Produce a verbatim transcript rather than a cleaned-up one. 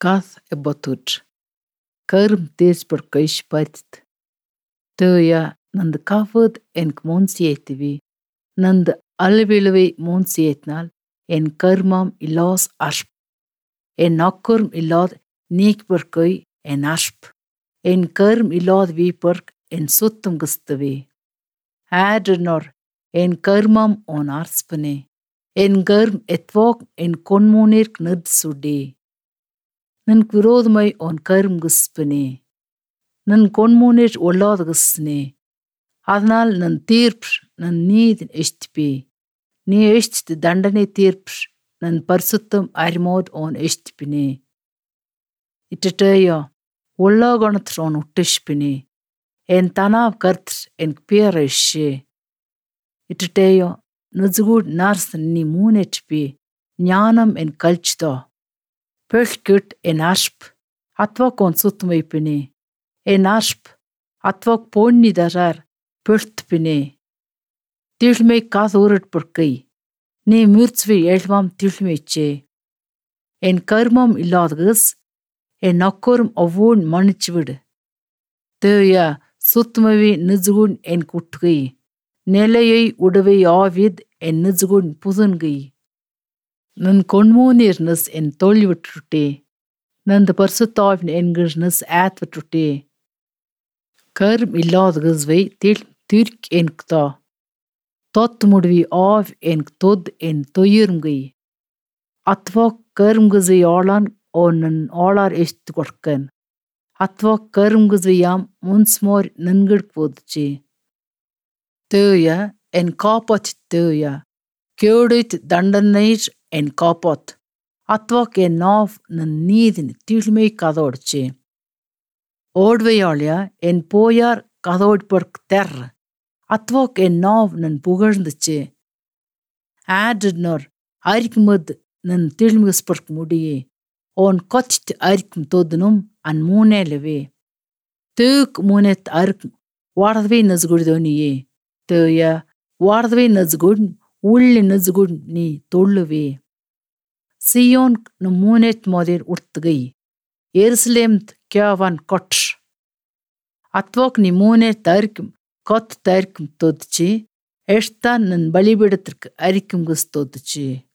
Kath e botut. Kërm tis për këish patit. Tëja ನಂದು ಕಾಫದ್ ಎನ್ಕ್ ಮೋನ್ಸಿಯೇತಿವಿ. ನಂದು ಅಲ್ವಿಳುವೆ ಮೋನ್ಸಿಯೇತ್ನಾಲ್ ಎನ್ ಕರ್ಮಂ ಇಲ್ಲಾಸ್ ಅರ್ಪ್. ಎನ್ ಅಕ್ಕರ್ಮ್ ಇಲ್ಲಾದ್ ನೀಕ್ ಬರ್ಕೈ ಎನ್ ಅರ್ಪ್. ಎನ್ ಕರ್ಮ್ ಇಲ್ಲಾದ್ ವಿ ಪರ್ಕ್ ಎನ್ ಸುತ್ತಂ ಗಸ್ತವಿ. ಆಡ್ರನೋರ್ ಎನ್ ಕರ್ಮಂ ಓನ್ ಅರ್ಸ್ಪನೆ. ಎನ್ ಗರ್ಮ್ ಎತ್ವಾಕ್ ಎನ್ ಕೊನ್ಮೋನಿರ್ಕ್ ನದ್ ಸುಡಿ. ನನ್ಕ್ ವಿರೋಧಮೈ ಓನ್ ಕರ್ಮ್ ಗಸ್ಪನೆ. ನನ್ ಕೊನ್ಮೋನಿರ್ ಒಲ್ಲಾದ್ ಗಸ್ನೆ. அதனால் ನನ್ ತೀರ್ಪ್ ನನ್ ನೀதி ಎಷ್ಟಿಪಿ. ನೀ ಎಷ್ಟ್ ದಂಡನೆ ತೀರ್ಪ್ ನನ್ ಪರಿಸುತ್ತಂ ಅರಿಮೋದ್ ಓನ್ ಎಷ್ಟಿಪಿನಿ. ಇಟ್ಟಟೇಯೋ ಒಳ್ಳಾಗಣತ್ರ ಓನ್ ಹುಟ್ಟಿಸ್ಪಿನಿ. ಎನ್ ತನಾವ್ ಕರ್ತ್ ಎನ್ ಪಿಯರ ಇಷ್ಷೆ. ಇಟ್ಟಟೇಯೋ ನಜುಗೂಡ್ ನಾರ್ಸ್ ನೀ ಮೂನೆಟ್ಪಿ ಜ್ಞಾನಂ ಎನ್ ಕಲ್ಚಿದೋ. ಪೆಳ್ಕಿಟ್ ಎನ್ ಅರ್ಪ್ ಅತ್ವಾಕ್ ಓನ್ ಸುತ್ತಮೈಪಿನಿ. ಎನ್ ಅರ್ಪ್ ಅತ್ವಾಕ್ ಪೋಣ್ಣಿದರಾರ್ ಪೆಳ್ತ್ಪಿನಿ. ತಿಳ್ಮೆ ಕಾಸ್ ಊರಟ್ ಪರ್ಕೈ. ನೀ ಮಿರ್ಚ್ವಿ ಎಳ್ವಾಂ ತಿಳ್ಮೆಚ್ಚೆ. ಎನ್ ಕರ್ಮಂ ಇಲ್ಲಾದಗಸ್ ಎನ್ ಅಕ್ಕೋರ್ಮ್ ಅವ್ವೂಣ್ ಮನ್ನಿಚ್ವಿಡ್. தேய சுத்தமவி நிஜுகுண் என் குட்டுகை. நிலையை உடவை ஆவித் என் நிஜுகுண் புதுன்கை. ನನ್ ಕೊಣ್ಮೂನೀರ್ನಸ್ ಎನ್ ತೊಳ್ಳಿವಿಟ್ರುಟ್ಟಿ. ನಂದು பரிசுத்தாவின் என்கிர்னஸ் ஆத்விட்ருட்டி. கர்ம் இல்லாதகஸ்வை தில் திர்க் என்க்தா. தொத் முடிவி ஆவ் என்க் தொத் என் தொயிர்ம்கை. அத்வா கர்ம்கஸை ஆளான் ஓ ನನ್ ಆಳಾರ್ ಎಷ್ಟ್ ಕೊಡ್ಕನ್. ಅತ್ವಾ ಕರ್ಮ್ಗಸ್ವಿಯಾಮ್ ಮುನ್ಸ್ಮೋರ್ ನನ್ಗಡ್ಕ್ ಓದ್ಚಿ. தேய என் காப்பாத் தேய. கேடுத் ದಂಡನೈರ್ ಎನ್ ಕಾಪಾತ್. ಅತ್ವಾಕ್ ಎನ್ ನಾವ್ ನನ್ ನೀದಿನ್ ತಿಳ್ಮೆ ಕದೋಡ್ಚಿ. ಓಡ್ವೆಯಾಳ್ಯ ಎನ್ ಪೋಯಾರ್ ಕದೋಡ್ ಪರ್ಕ್ ತೆರ್. ಅತ್ವಾಕ್ ಎನ್ ನಾವ್ ನನ್ ಪುಗಳ್ಂದಚಿ. ಆಡ್ನೋರ್ ಅರಿಕ್ಮದ್ ನನ್ ತಿಳ್ಮಗಸ್ಪರ್ಕ್ ಮುಡಿಯೆ. ಓನ್ ಕೊಚ್ತ್ ಅರಿಕ್ಮ್ ತೊದ್ನುಂ ಅನ್ ಮೂನೆಲವೆ. ತೇಕ್ ಮೂನೆತ್ ಅರ್ಕ್ ವಾರ್ದ್ವೆ ನಜ್ಗುಡ್ದೋನಿಯೆ. தேய ವಾರ್ದ್ವೆ ನಜ್ಗುಡ್ ಉಳ್ಳಿ ನಜ್ಗುಡ್ ನೀ ತೊಳ್ಳುವೆ. ಸಿಯೋನ್ ನ ಮೂನೆತ್ ಮೋದಿರ್ ಉರ್ತ್ಗೈ. ಎರುಸಲೇಮ್ತ್ ಕ್ಯಾವನ್ ಕೊಟ್ರ್. ಅತ್ವಾಕ್ ನೀ ಮೂನೆತ್ ಅರ್ಕ್ಮ್ ಕೊತ್ ತರ್ಕ್ಮ್ ತೊದ್ಚಿ. ಎಷ್ತಾನ್ ನನ್ ಬಲಿಬಿಡತ್ರಕ್ ಅರಿಕ್ಮ್ಗಸ್ ತೊದ್ಚಿ.